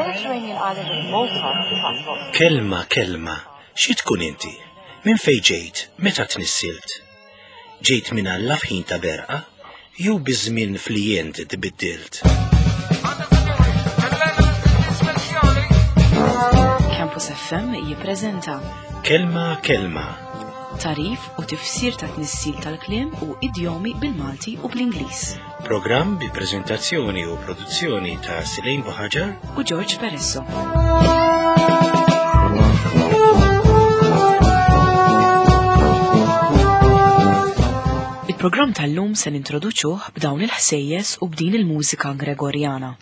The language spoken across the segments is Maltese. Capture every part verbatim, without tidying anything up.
Mediterranean island of Malta transports Kelma, kelma, xi tkun inti? Minn fejn ġejt? Meta tnissilt? Ġejt minn Alla f'ħin ta' berqa? Jew biż-żmien flijent tbiddilt? Campus F M jippreżenta Kelma, kelma, tarif u tifsir ta' tnissil tal-kliem u idjomi bil-Malti u bl-Ingliż. Programm bi preżentazzjoni u produzzjoni ta' Silejn Buħaġar u George Peresso. Il-programm tal-lum se nintroduċuh b'dawn il-ħsejjes u b'din il-mużika Gregorjana.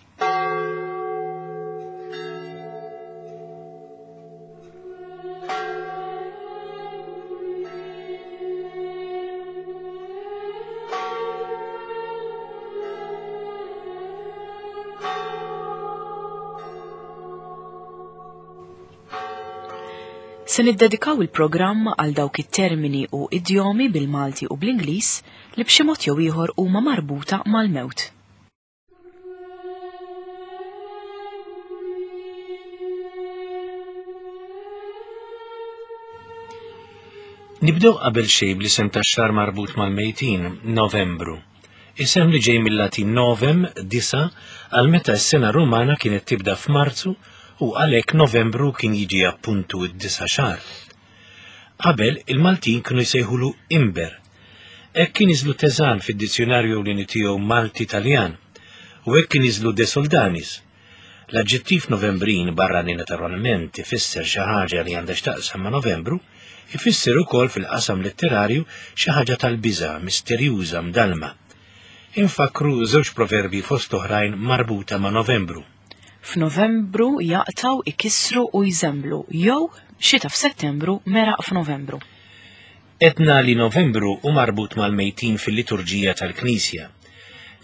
Se niddedikaw il-programm għal dawk it-termini u idjomi bil-Malti u bl-Ingliż li b'xi mod jew ieħor huma marbuta mal-mewt. Nibdew qabel xejn bl-isem tax-xahar marbut mal-mejtin, Novembru. Isem li ġej mill-Latin novem, disa, għal meta s-sena Rumana kienet tibda f'Marzu u għalhekk Novembru kien jiġi appuntu id-disa xahar. Qabel il-Maltin kienu jsejħulu Imber. Hekk kien iżlu Teżan fid-dizzjonarju ewlieni tiegħu Malti-Taljan u hekk kien iżlu De Soldanis. L-aġġettiv Novembrin barra li naturalment ifisser xi ħaġa li għandha x'taqsam ma' Novembru, ifisser ukoll fil-qasam letterarju xi ħaġa tal-biża', misterjuża, mdalma. Infakru żewġ proverbi fost oħrajn marbuta ma' Novembru. F'Novembru jaqtaw, ikissru u jżemblu, jew xita f'Settembru meraq f'Novembru. Etna li Novembru hu marbut mal-mejtin fil-liturġija tal-Knisja.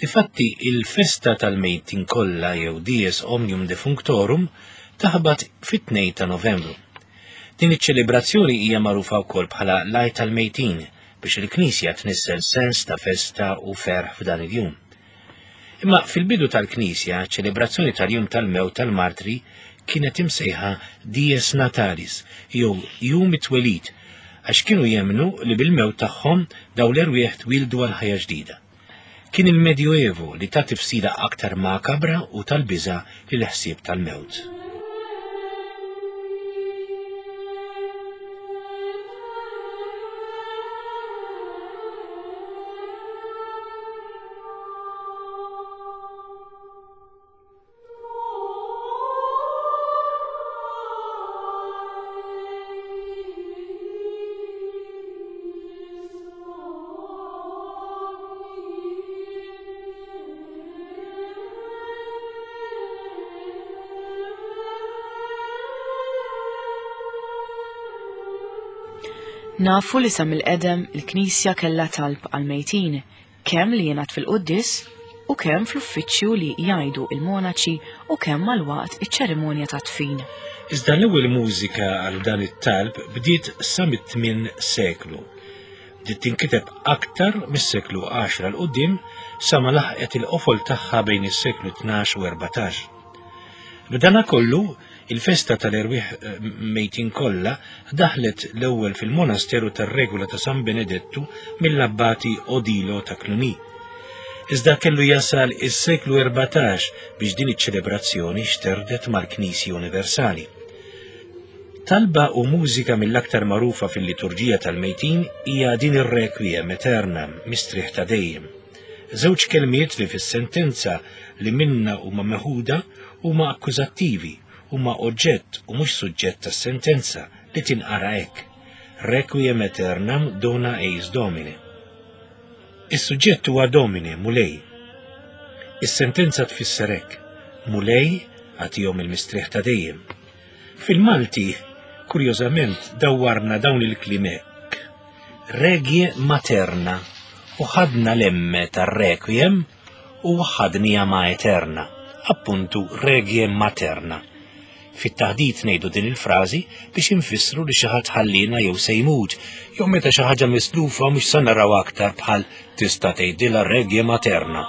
Difatti, il-festa tal-mejtin kollha jew Dies Omnium Defunctorum taħbat fit-tnejn ta' Novembru. Din iċ-ċelebrazzjoni hija magħrufa wkoll bħala l-Għid tal-Mejtin biex il-Knisja tnissel sens ta' festa u ferħ f'dan il-jum. Imma fil-bidu tal-Knisja, ċelebrazzjoni tal-jum tal-mewt tal-martri kienet imsejħa Dies Natalis, jew jum it-twelid, għax kienu jemnu li bil-mewt tagħhom daw l-erwieħ twildu għal ħajja ġdida. Kien il-Medjuevo li ta' tifsira aktar makabra u tal-biża' lil ħsieb tal-mewt. Nafu li sa mill-qedem il-Knisja kellha talb għal-mejtin, kemm li jingħad fil-quddies u kemm fl-uffiċċju li jgħidu il-monaċi u kemm mal-waqt iċ-ċerimonja ta' tfin. Iżda l-ewwel mużika għal dan it-talb bdiet sa mit-tmien seklu. Bdiet tinkiteb aktar mis-seklu għaxra 'l quddiem sa ma laħqet il-qofol tagħha bejn is-seklu tnax u erbatax. B'dana kollu, il-festa tal-erwieħ, eh, mejtin kollha daħlet l-ewwel fil-monasteru tar-Regola ta' San Benedettu mill-abbati Odilo ta' Cluny. Iżda kellu jasal is-seklu erbatax biex din iċ-ċelebrazzjoni xterdet mal-Knisja Universali. Talba u mużika mill-aktar magħrufa fil-liturġija tal-mejtin hija din ir-Requiem Aeternam, mistrieħ ta' dejjem. Żewġ kelmiet li fis-sentenza li minna huma meħuda huma akkużattivi, huma oġġett u mhux suġġett tas-sentenza li tinqara hekk. Requiem Aeternam dona eis Domine. Is-suġġett huwa Domine, Mulej. Is-sentenza tfisser hekk: Mulej agħtihom il-mistrieħ ta' dejjem. Fil-Malti, kurjożament, dawwarna dawn il-kliem hekk. Regie materna u ħadna l-emme tar-requiem u ħadnija ma' eterna, appuntu regie materna. Fit-taħdit ngħidu din il-frażi biex infissru li xi ħadd ħallina jew se jmut, jew meta xi ħaġa mislufa mhux se naraw aktar bħal tista' tgħidilha regie materna.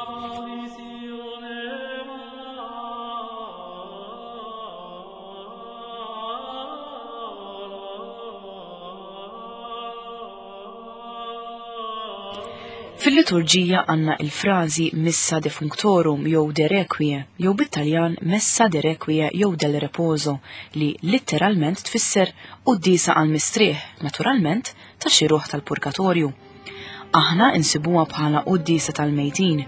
Fil-liturġija għandna il-frażi Missa Defunctorum jew De Requie jew bit-Taljan Messa de Requie jew del Reposo li litteralment tfisser quddiesa għal mistrieħ, naturalment ta' xi ruħ tal-purgatorju. Aħna insibuha bħala quddiesa tal-mejtin.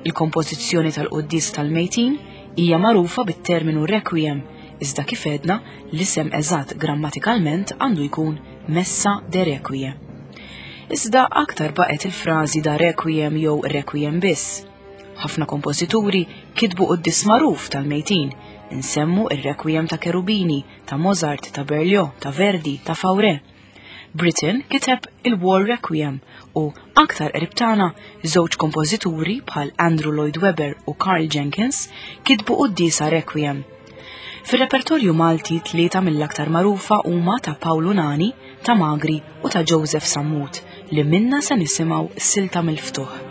Il-kompożizzjoni tal-quddiesa tal-mejtin hija magħrufa bit-terminu requiem, iżda kif għedna l-isem eżatt grammatikalment għandu jkun Messa de Requie. Iżda aktar baqgħet il-frażi da requiem jew requiem biss. Ħafna kompożituri kitbu quddies magħruf tal-mejtin, insemmu ir-requiem ta' Cherubini, ta' Mozart, ta' Berlioz, ta' Verdi, ta' Fauré. Britten kiteb il-War Requiem u aktar qrib tagħna żewġ kompożituri bħal Andrew Lloyd Webber u Karl Jenkins kitbu quddiesa Requiem. Fir-repertorju Malti tlieta mill-aktar magħrufa huma ta' Paolo Nani, ta' Magri u ta' Joseph Sammut li minna se nisimgħu silta mill-ftuħ.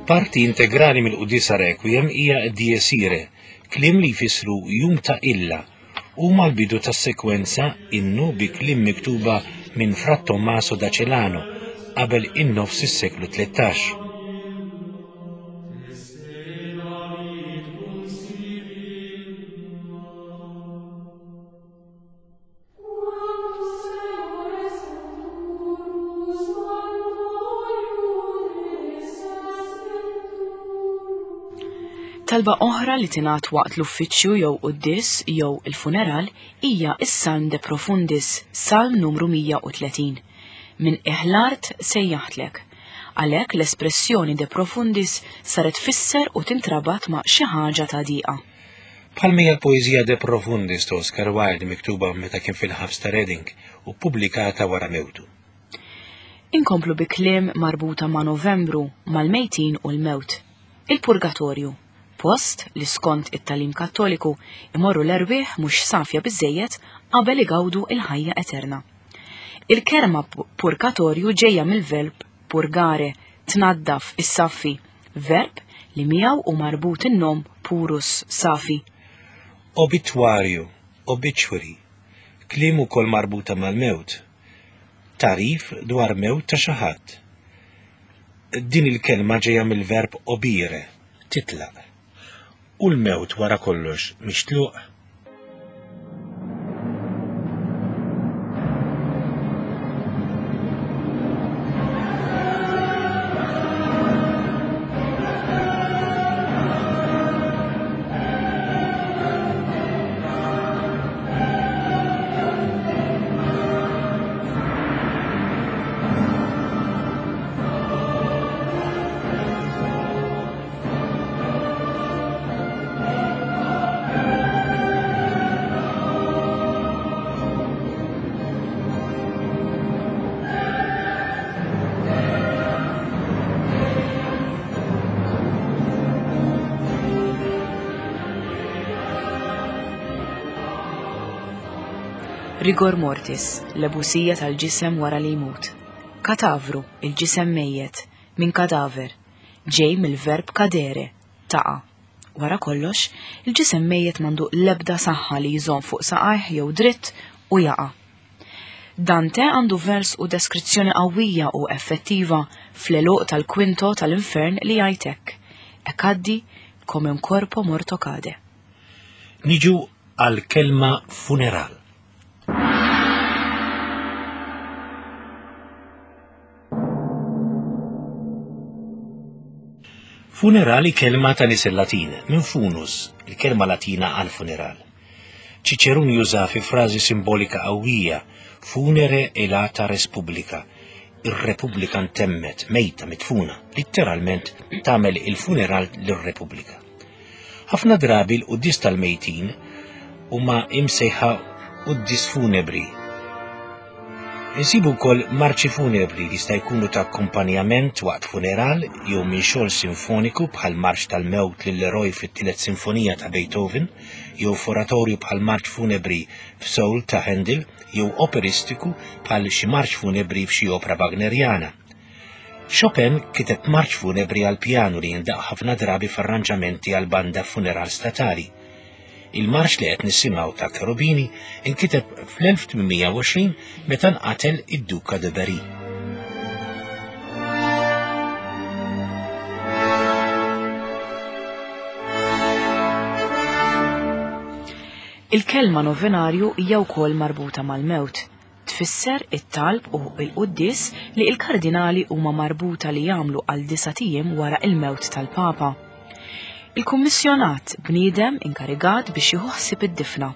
Parti integrali mill-quddiesa Requiem hija Dies Irae, kliem li jfissru jum ta' illa, huma l-bidu tas-sekwenza innu bi kliem miktuba minn Fra Tommaso da Celano qabel in-nofs is-seklu tlettax. Talba oħra li tingħad waqt l-uffiċċju jew quddies jew il-funeral hija s-Salm de Profundis, Salm numru mija u tletin. Minn iħlart sejjaħtlek. Għalhekk l-espressjoni de Profundis saret tfisser u tintrabat ma' xi ħaġa ta' diqa. Bħalma hija l-poeżija de Profundis ta' Oscar Wilde miktuba meta kien fil-ħabs ta' Reading u ppubblikata wara mewtu. Inkomplu bi kliem marbuta ma' Novembru, mal-mejtin u l-mewt. Il-Purgatorju, post li skont it-talim kattoliku imorru l-erwieħ mhux safja biżejjed qabel igawdu il-ħajja eterna. Il-kelma purgatorju ġejja mill-verb purgare, tnaddaf, issaffi, verb li miegħu u marbut in-nom purus, safi. Obitwarju, obituary, kliem ukoll marbuta mal-mewt, tarif dwar mewt ta' xi ħadd. Din il-kelma ġejja mill-verb obire, titlaq. U l-mewt wara kollox mhix tluq. Rigor mortis, l-ebusija tal-ġisem wara li jmut. Katavru, il-ġisem mejjet, minn kadaver, ġej mill-verb kadere, taqa. Wara kollox, il-ġisem mejjet mandu l-ebda saħħa li jżomm fuq saqajh jew dritt u jaqa. Dante għandu vers u deskrizzjoni qawwija u effettiva fl-eluq tal-kwinto tal-infern li jgħidlek. E caddi come un corpo morto cade. Niġu għal-kelma funeral. Funerali kelma ta' nisel Latin, minn funus, il-kelma Latina għal funeral. Ċiċerun juża fi frażi simbolika qawwija, funere elata res publica, ir-Repubblika ntemmet, mejta, mitfuna, litteralment tagħmel il-funeral lir-Repubblika. Ħafna drabi l-quddies tal-mejtin huma imsejħa quddies funebri. Insibu wkoll marċi funebri li jista' jkunu ta' akkumpanjament waqt funeral jew minn xogħol sinfoniku bħal marċ tal-mewt lill-eroj fit-tielet sinfonija ta' Beethoven, jew f'oratorju bħal marċ funebri f'Soul ta' Handel, jew operistiku bħal xi marċ funebri f'xi opra Wagneriana. Chopin kiteb marċ funebri għal pjanu li jindaq ħafna drabi f'arranġamenti għal banda funeral statali. Il-marċ li qed nisimgħu ta' Cherubini inkiteb fl-elf tmien u għoxrin meta nqatel id-Duka de Berry. Il-kelma novenarju hija wkoll marbuta mal-mewt. Tfisser it-talb u l-quddies li l-kardinali huma marbuta li jagħmlu għal disa' ijiem wara il-mewt tal-Papa. Il-kummissjonat bniedem inkarigat biex jieħu ħsieb id-difna.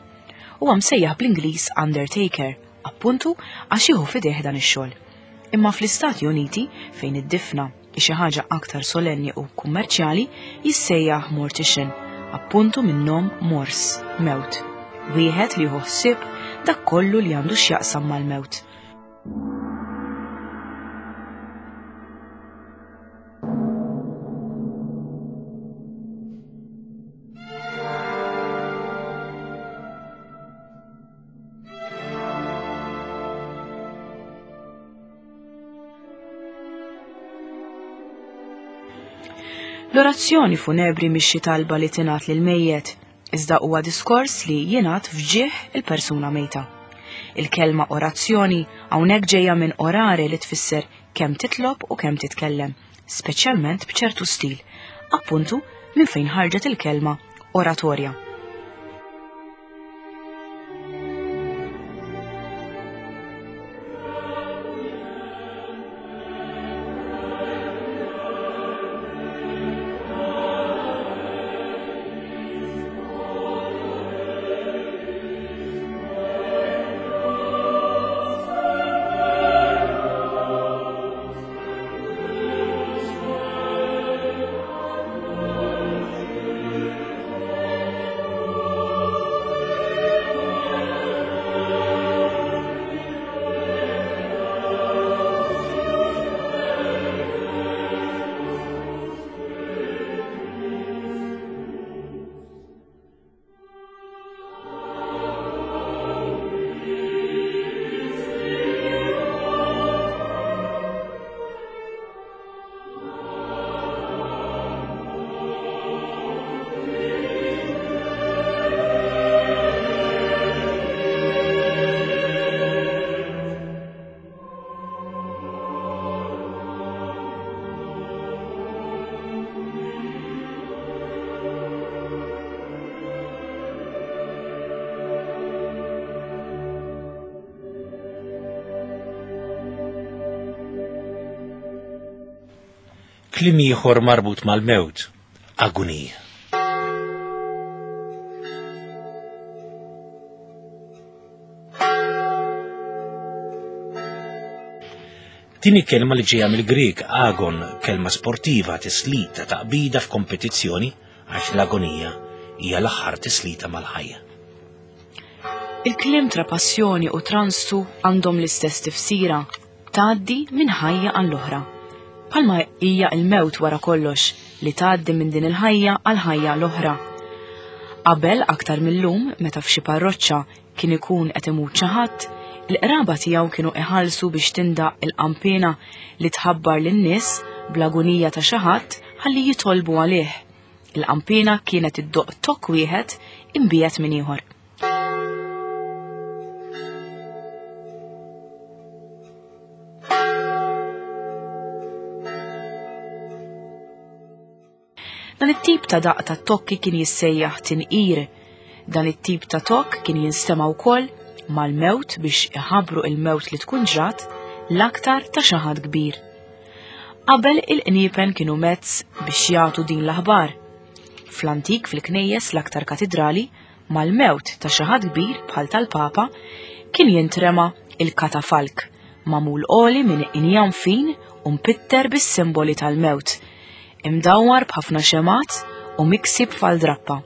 Huwa msejjaħ bl-Ingliż Undertaker, appuntu għax jieħu f'idejh dan ix-xogħol. Imma fl-Istati Uniti, fejn id-difna hi xi ħaġa aktar solenni u kummerċjali, jissejjaħ mortician, appuntu minn nom mors, mewt. Wieħed li jieħu ħsieb dak kollu li għandu x'jaqsam mal-mewt. L-orazzjoni funebri mhix xi talba li tingħad lil mejjet, iżda huwa diskors li jingħad f'ġieħ il-persuna mejta. Il-kelma orazzjoni hawnhekk ġejja minn orare li tfisser kemm titlob u kemm titkellem, speċjalment b'ċertu stil, appuntu minn fejn ħarġet il-kelma oratorja. Kliem ieħor marbut mal-mewt, agonija. Din kelma li ġejja mill-Grieg agon, kelma sportiva, tislita, taqbida f'kompetizzjoni, għax l-agonija hija l-aħħar tislita mal-ħajja. Il-kliem tra passjoni u transtu għandhom l-istess tifsira, tgħaddi minn ħajja għall-oħra. Palma hija l-mewt wara kollox li tgħaddi minn din il-ħajja għal ħajja l-oħra. Qabel aktar mill-lum, meta f'xi parroċċa kien ikun qed imut xi ħadd, il-qraba tiegħu kienu iħallsu biex tindaq il-qampina li tħabbar lin-nies bl-agonija ta' xi ħadd ħalli jitolbu għalih. Il-qampina kienet iddoq tokk wieħed imbiegħed minn ieħor. Dan it-tip ta' daq ta' tokki kien jissejjaħ tinqir. Dan it-tip ta' tokk kien jinstema' wkoll mal-mewt biex iħabbru il-mewt li tkun ġrat l-aktar ta' xi ħadd kbir. Qabel il-qniepen kienu mezz biex jagħtu din l-aħbar. Fl-antik fil-knejjes l-aktar katidrali, mal-mewt ta' xi ħadd kbir bħal tal-Papa, kien jintrema il-katafalk, magħmul għoli minn injam fin u mpitter bis-simboli tal-mewt, imdawwar b'ħafna xemat u miksi b'faldrappa.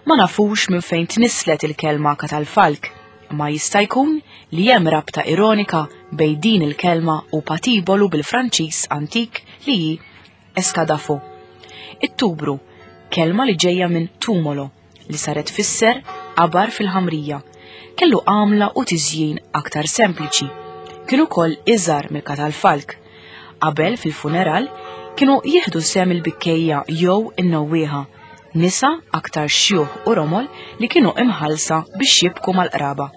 Ma nafux minn fejn tnislet il-kelma katalfalk, ma jista' jkun li hemm rabta ironika bejn din il-kelma u patibolu bil-Franċiż antik li hi eskadafo. It-tubru, kelma li ġejja minn tumolo, li saret tfisser qabar fil-ħamrija, kellu għamla u tiżjin aktar sempliċi. Kienu ukoll iżgħar mill-katalfalk. Qabel fil-funeral kienu jieħdu sehem il-bikkejja jew in-nowwieħa, nisa aktar xjuħ u romol li kienu imħallsa biex jibku mal-qraba.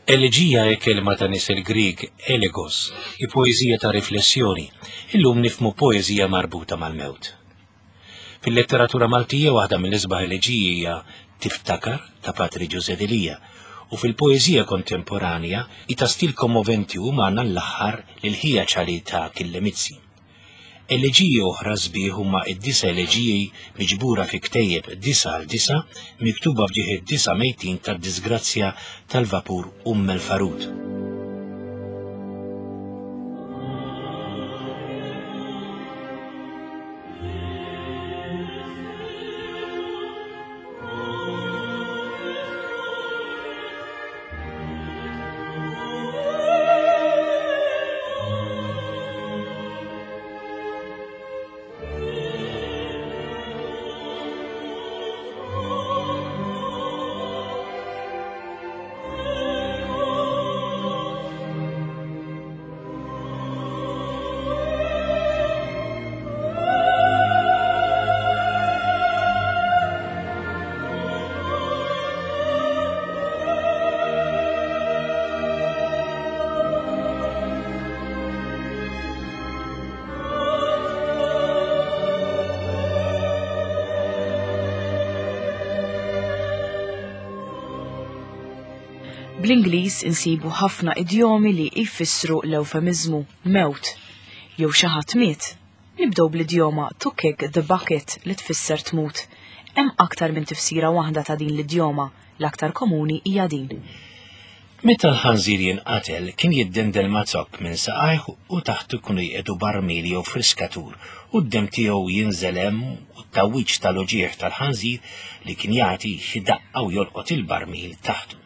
Eleġija hi kelma ta' nisel Grieg elegos, hi poeżija ta' riflessjoni, illum nifhmu poeżija marbuta mal-mewt. Fil-letteratura Maltija waħda mill-isbaħ eleġiji hija Tiftakar ta' Patri Ġużè Delia, u fil-poeżija kontemporanja hi ta' stil kommoventi umana l-aħħar lil ħija ċali ta' Achille Mizzi. Eleġiji oħra sbieħ huma id-disa eleġiji miġbura fi ktejjeb disa għal disa miktuba f'ġieħ id-disa mejtin tad-disgrazzja tal-vapur Umm el-Farud. Bl-Ingliż insibu ħafna idjomi li jfissru l-eufemizmu mewt jew xi ħadd miet. Nibdew bl-idjoma to kick the bucket li tfisser tmut. Hemm aktar minn tifsira waħda ta' din l-idjoma, l-aktar komuni hija din. Meta l-ħanżir jinqatel kien jiddendel ma' zokk minn saqajh u taħtu kienu jqiegħdu barmil jew friskatur u d-dem tiegħu jinżel hemm u t-tawwiġ tal-uġigħ tal-ħanżir li kien jagħti xi daqqa u jolqot il-barmil taħtu.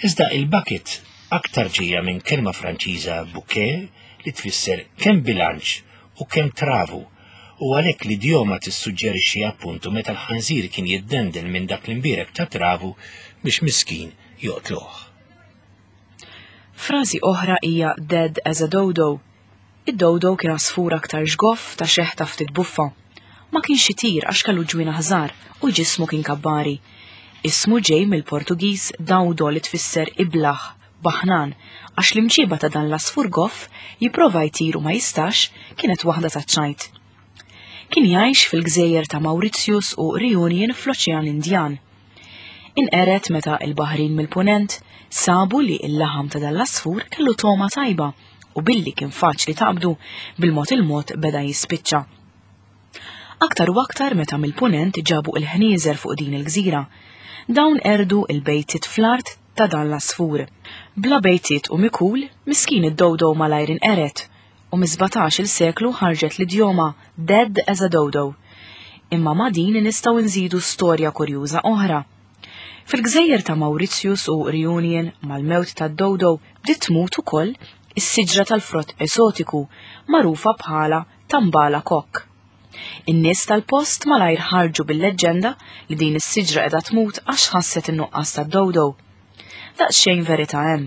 Iżda il-bucket aktar ġejja minn kelma Franċiża bouquet li tfisser kemm bilanċ u kemm travu, u għalhekk l-idjoma tissuġġerixxi appuntu meta l-ħanżir kien jiddendel minn dak l-imbierek ta' travu biex miskin joqtluh. Frażi oħra hija dead as a dodo. Id-dodo kien għasfur aktar ġgoff ta' xeħta ftit buffa. Ma kienx itir għax kellu ġwienaħ żgħar u ġismu kien kabbari. Ismu ġej mill-Portugiż dawdo li tfisser iblaħ, baħnan, għax l-imġiba ta' dan l-għasfur goff jipprova jtir u ma jistax kienet waħda ta' ċajt. Kien jgħix fil-gżejjer ta' Mauritius u Reunion fl-Oċean Indjan. Inqeret meta il-baħrin mill-punent sabu li l-laħam ta' dan l-għasfur kellu togħma tajba u billi kien faċli taqbdu bil-mod il-mod beda jispiċċa. Aktar u aktar meta mill-punent ġabu il-ħnieżer fuq din il-gżira. Dawn erdu il-bejtiet fl-art ta' dan l-għasfur. Bla bejtiet u mikul, miskin id-dodo malajr inqeret u mis-sbatax-il seklu ħarġet l-idjoma dead as a dodo. Imma ma' din nistgħu nżidu storja kurjuża oħra. Fil-gżejjer ta' Mauritius u Reunion mal-mewt tad-dodo bdiet tmut ukoll is-siġra tal-frott esotiku magħrufa bħala tambala kok. In-nies tal-post malajr ħarġu bil-leġġenda li din is-siġra qiegħda tmut għax ħasset in-nuqqas tad-dodo. Daqsxejn verità hemm.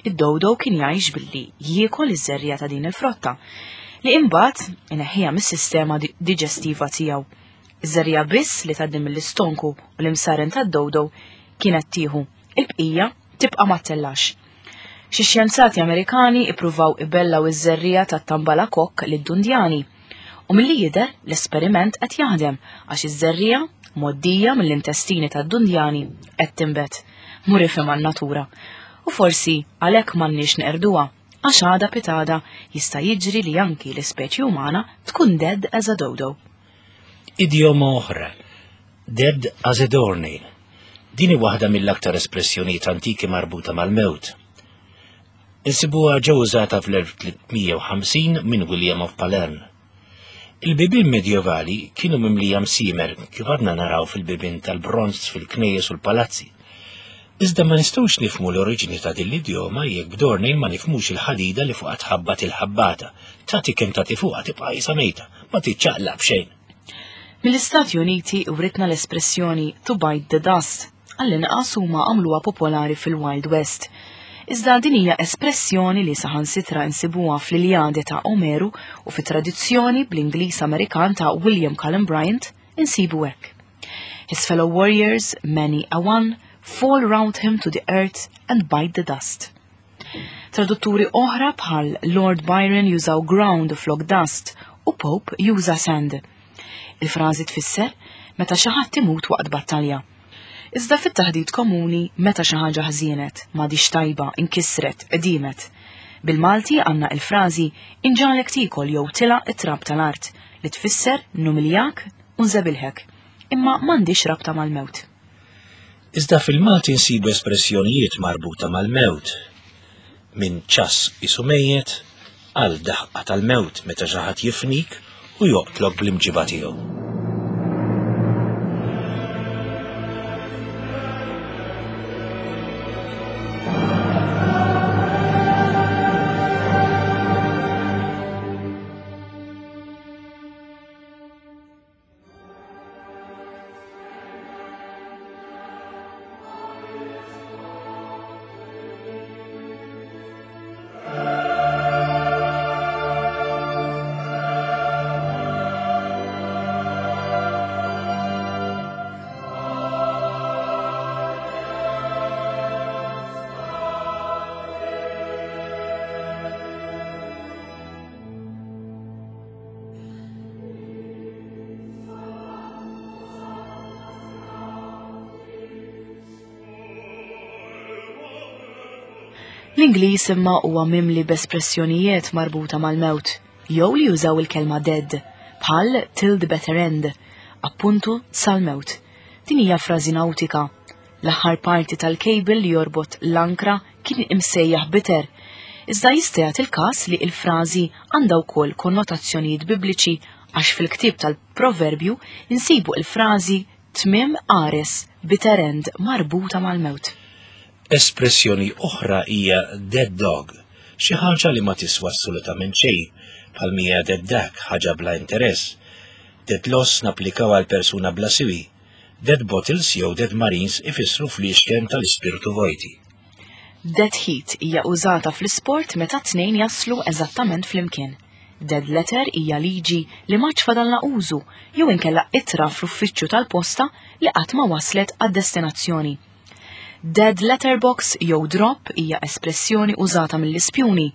Id-dodo kien jgħix billi jiekol iż-żerriegħa ta' din il-frotta li imbagħad ineħħiha mis-sistema di-, diġestiva tiegħu. Iż-żerriegħa biss li tgħaddi mill-istonku u l-imsaren tad-dodo kienet tieħu, il-bqija tibqa' ma ttellax. Xi xjenzati Amerikani ippruvaw ibellaw iż-żerriegħa tat-tambalakokk lid-dundjani. U milli jidher l-esperiment qed jaħdem għax iż-żerriegħa mgħoddija mill-intestini tad-dundjani qed tinbet. Mur ifhem għan-natura. U forsi għalhekk m'għandniex neqerduha, għax għada pitgħada jista' jiġri li anki l-ispeċi umana tkun dead as a dodo. Idjoma oħra, dead as a doornail. Din hi waħda mill-aktar espressjonijiet antiki marbuta mal-mewt. Insibuha ġew użata fl-elf tliet mija u ħamsin minn William of Palerne. Il-bibien medjevali kienu mimlija msiemer kif għadna naraw fil-bibien tal-bronz fil-knejjes u l-palazzi. Iżda ma nistgħux nifhmu l-oriġini ta' din l-idjoma jekk b'doornail ma nifhmux il-ħadida li fuqha tħabbat il-ħabbata. Tagħti kemm tagħti fuqha tibqa' qisha mejta, ma tiċċaqlaq b'xejn. Mill-Istati Uniti writna l-espressjoni to bite the dust, għall-inqas huma għamluha popolari fil-Wild West. Iżda din hija espressjoni li saħansitra insibuha fl-Iljade ta' Omeru u fit-tradizzjoni bl-Ingliż Amerikan ta' William Cullen Bryant insibu hekk. His fellow warriors, many a one, fall round him to the earth and bite the dust. Tradutturi oħra bħal Lord Byron jużaw ground flok dust u Pope juża sand. Il-frażi tfisser meta xi ħadd imut waqt battalja. Iżda fit-taħdit komuni meta xi ħaġa ħżienet, m'għadix tajba, inkisret, qdimet. Bil-Malti għandna il-frażi inġalek tikol jew tilaq it-trab tal-art li tfisser numiljak u nżebilħek, imma m'għandix rabta mal-mewt. Iżda fil-Malti nsibu espressjonijiet marbuta mal-mewt. Minn ċass isu mejjet għal daħqa tal-mewt meta xi ħadd jifnik u joqtlok bl-imġiba tiegħu. L-Ingliż imma huwa mimli b'espressjonijiet marbuta mal-mewt, jew li jużaw il-kelma dead, bħal till the better end, appuntu sal-mewt. Din hija frażi nautika. L-aħħar parti tal-cable li jorbot l-ankra kien imsejjaħ bitter. Iżda jista' jagħti il-każ li l-frażi għandha wkoll konnotazzjonijiet bibliċi għax fil-ktieb tal-Proverbju insibu l-frażi tmiem qares, bitter end, marbuta mal-mewt. Espressjoni oħra hija dead dog, xi ħaġa li ma tiswa assolutament xejn, bħal mija dead duck, ħaġa bla interess. Dead loss napplikaw għal persuna bla siwi. Dead bottles jew dead marines ifissru fl-ixken tal-ispirtu vojti. Dead heat hija użata fl-isport meta tnejn jaslu eżattament flimkien. Dead letter hija liġi li ma fadalna użu jew inkella ittra fl-uffiċċju tal-posta li qatt ma waslet għad-destinazzjoni. Dead letterbox jew drop hija espressjoni użata mill-ispjuni.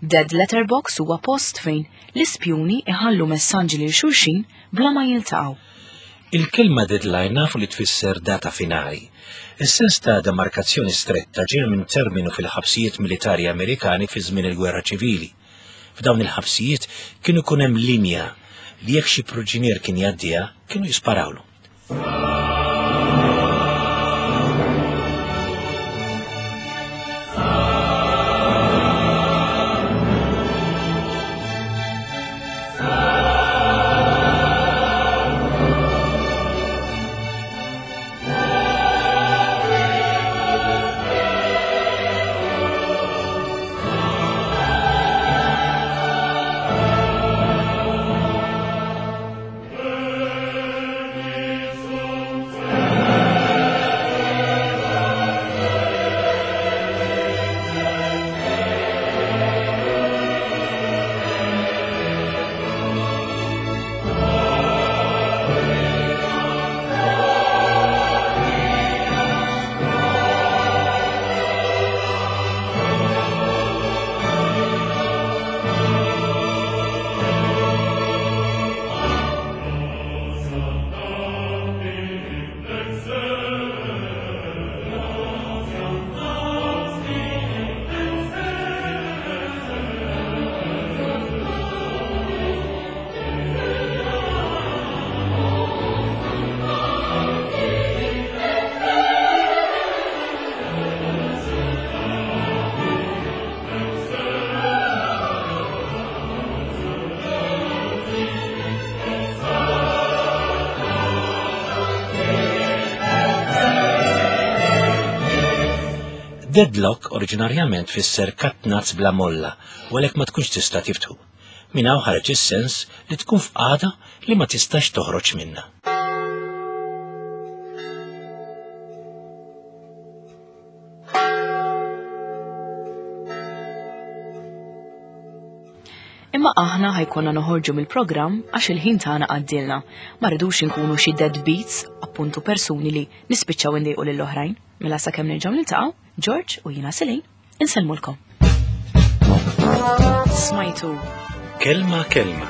Dead letterbox huwa post fejn l-ispjuni iħallu messaġġi lil xulxin bla ma jiltaqgħu. Il-kelma deadline nafu li tfisser data finali. Is-sens ta' demarkazzjoni stretta ġej minn terminu fil-ħabsijiet militari Amerikani fi żmien il-Gwerra Ċivili. F'dawn il-ħabsijiet kienu jkun hemm linja li jekk xi proġinier kien jgħaddiha kienu jisparawlu. Deadlock oriġinarjament fisser katnazz bla molla u għalhekk ma tkunx tista' tiftħu. Minn hawn ħareġ is-sens li tkun f'qagħda li ma tistax toħroġ minnha. Imma aħna ħajkonna noħorġu mill-programm għax il-ħin tagħna għaddilna. Ma rridux inkunu xi deadbeats, appuntu persuni li nispiċċaw indejqu lill-oħrajn. Mela sakemm nerġgħu niltaqgħu, George u jiena Selin, insellmulkom. Smajtu Kelma Kelma,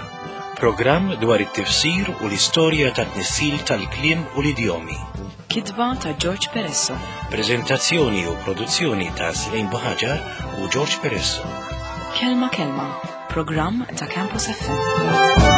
programm dwar it-tifsir u l-istorja tat-tnissil tal-kliem u l-idjomi. Kitba ta' George Peresso. Prezentazzjoni u produzzjoni ta' Selin Buħaġar u George Peresso. Kelma Kelma, programm ta' Campus F M.